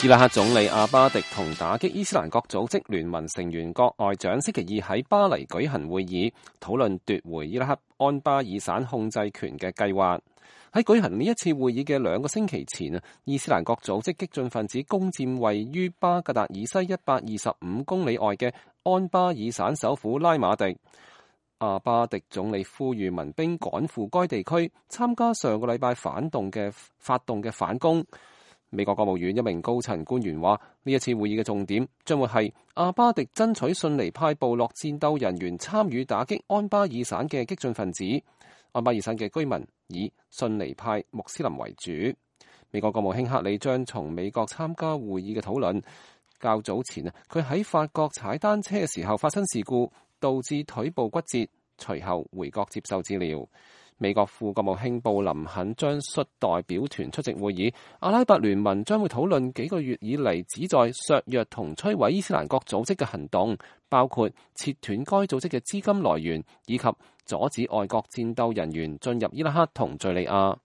伊拉克總理阿巴迪同打擊伊斯蘭國組織聯盟成員國外長星期二喺巴黎舉行會議，討論奪回伊拉克安巴爾省控制權嘅計劃。喺舉行呢一次會議嘅2個星期前，伊斯蘭國組織激進分子攻佔位於巴格達以西125公里外嘅安巴爾省首府拉馬迪。阿巴迪總理呼籲民兵趕赴該地區，參加上個禮拜發動嘅反攻。美國國務院一名高層官員話，呢一次會議嘅重點將會係阿巴迪爭取遜尼派部落戰鬥人員參與打擊安巴爾省嘅激進分子。安巴爾省嘅居民以遜尼派穆斯林為主。美國國務卿克里將從美國參加會議嘅討論。較早前佢喺法國踩單車嘅時候發生事故，導致腿部骨折，隨後回國接受治療。美國副國務卿布林肯將率代表團出席會議。阿拉伯聯盟將會討論幾個月以嚟旨在削弱同摧毀伊斯蘭國組織嘅行動，包括切斷該組織嘅資金來源，以及阻止外國戰鬥人員進入伊拉克同敘利亞。